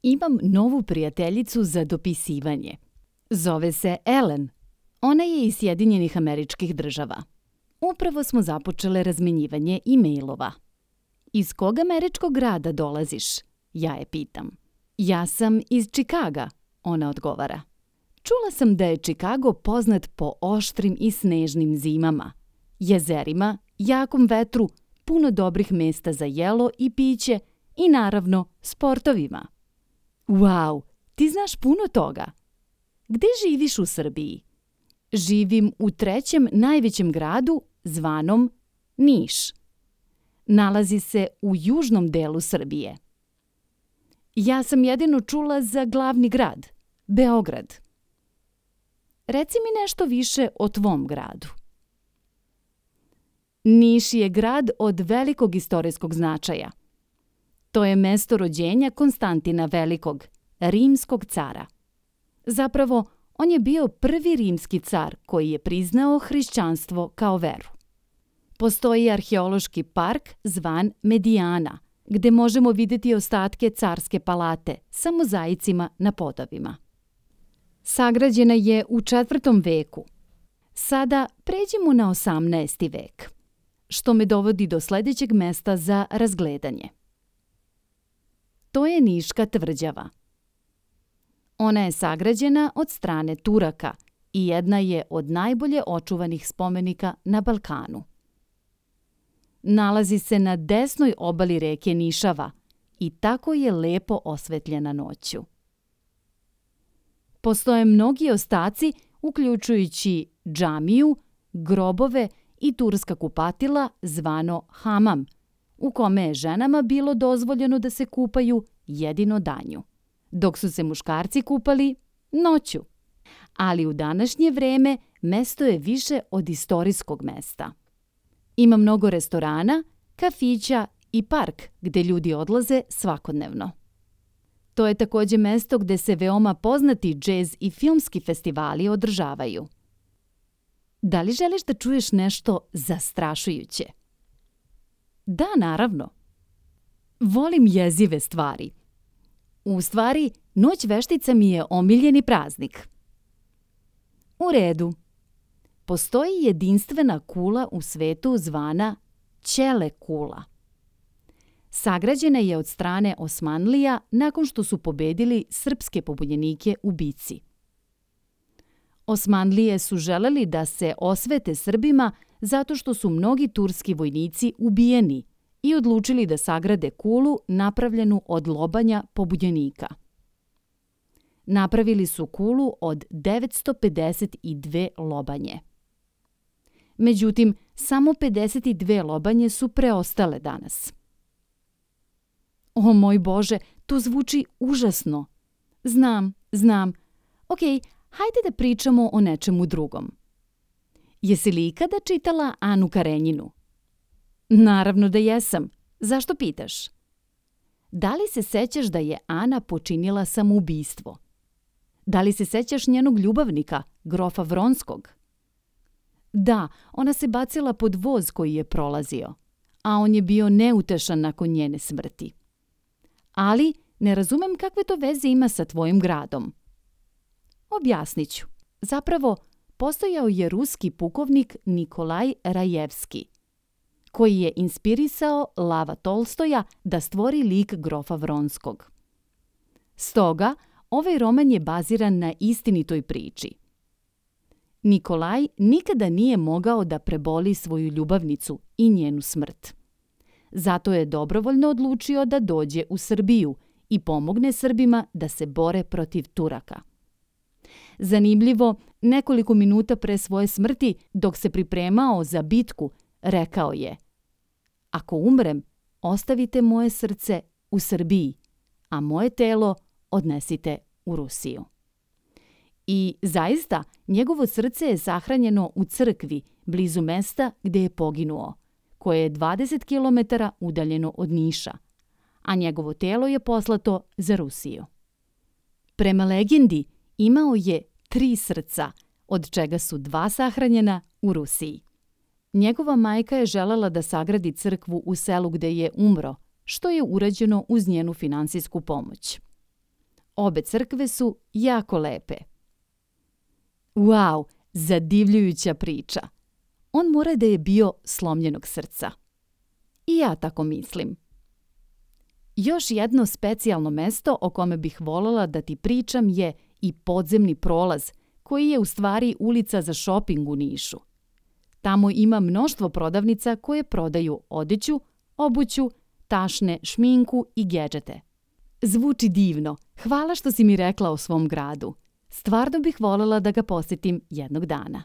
Imam novu prijateljicu za dopisivanje. Zove se Ellen. Ona je iz Sjedinjenih Američkih Država. Upravo smo započele razmenjivanje e-mailova. Iz kog američkog grada dolaziš? Ja je pitam. Ja sam iz Čikaga, ona odgovara. Čula sam da je Čikago poznat po oštrim i snežnim zimama, jezerima, jakom vetru, puno dobrih mesta za jelo i piće i naravno sportovima. Wow, ti znaš puno toga. Gde živiš u Srbiji? Živim u trećem najvećem gradu zvanom Niš. Nalazi se u južnom delu Srbije. Ja sam jedino čula za glavni grad, Beograd. Reci mi nešto više o tvom gradu. Niš je grad od velikog istorijskog značaja. To je mesto rođenja Konstantina Velikog, rimskog cara. Zapravo, on je bio prvi rimski car koji je priznao hrišćanstvo kao veru. Postoji arheološki park zvan Medijana, gde možemo vidjeti ostatke carske palate sa mozaicima na podovima. Sagrađena je u 4. veku. Sada pređimo na 18. vek, što me dovodi do sljedećeg mesta za razgledanje. To je Niška tvrđava. Ona je sagrađena od strane Turaka i jedna je od najbolje očuvanih spomenika na Balkanu. Nalazi se na desnoj obali reke Nišava i tako je lepo osvetljena noću. Postoje mnogi ostaci, uključujući džamiju, grobove i turska kupatila zvano hamam, u kome je ženama bilo dozvoljeno da se kupaju jedino danju, dok su se muškarci kupali noću. Ali u današnje vreme mesto je više od istorijskog mesta. Ima mnogo restorana, kafića i park gde ljudi odlaze svakodnevno. To je također mesto gde se veoma poznati džez i filmski festivali održavaju. Da li želiš da čuješ nešto zastrašujuće? Da, naravno. Volim jezive stvari. U stvari, Noć veštica mi je omiljeni praznik. U redu. Postoji jedinstvena kula u svetu zvana Ćele kula. Sagrađena je od strane Osmanlija nakon što su pobedili srpske pobunjenike u bici. Osmanlije su želeli da se osvete Srbima zato što su mnogi turski vojnici ubijeni i odlučili da sagrade kulu napravljenu od lobanja pobunjenika. Napravili su kulu od 952 lobanje. Međutim, samo 52 lobanje su preostale danas. O moj Bože, to zvuči užasno. Znam. Ok, hajde da pričamo o nečemu drugom. Jesi li ikada čitala Anu Karenjinu? Naravno da jesam. Zašto pitaš? Da li se sećaš da je Ana počinila samoubistvo? Da li se sećaš njenog ljubavnika, grofa Vronskog? Da, ona se bacila pod voz koji je prolazio, a on je bio neutešan nakon njene smrti. Ali ne razumem kakve to veze ima sa tvojim gradom. Objasnit ću. Zapravo, postojao je ruski pukovnik Nikolaj Rajevski, koji je inspirisao Lava Tolstoja da stvori lik grofa Vronskog. Stoga, ovaj roman je baziran na istinitoj priči. Nikolaj nikada nije mogao da preboli svoju ljubavnicu i njenu smrt. Zato je dobrovoljno odlučio da dođe u Srbiju i pomogne Srbima da se bore protiv Turaka. Zanimljivo, nekoliko minuta pre svoje smrti, dok se pripremao za bitku, rekao je: "Ako umrem, ostavite moje srce u Srbiji, a moje telo odnesite u Rusiju." I zaista, njegovo srce je sahranjeno u crkvi blizu mesta gde je poginuo, koje je 20 km udaljeno od Niša, a njegovo telo je poslato za Rusiju. Prema legendi, imao je 3 srca, od čega su 2 sahranjena u Rusiji. Njegova majka je želela da sagradi crkvu u selu gde je umro, što je urađeno uz njenu finansijsku pomoć. Obe crkve su jako lepe. Wow, zadivljujuća priča. On mora da je bio slomljenog srca. I ja tako mislim. Još jedno specijalno mesto o kome bih voljela da ti pričam je i podzemni prolaz, koji je u stvari ulica za šoping u Nišu. Tamo ima mnoštvo prodavnica koje prodaju odeću, obuću, tašne, šminku i gedžete. Zvuči divno. Hvala što si mi rekla o svom gradu. Stvarno bih voljela da ga posjetim jednog dana.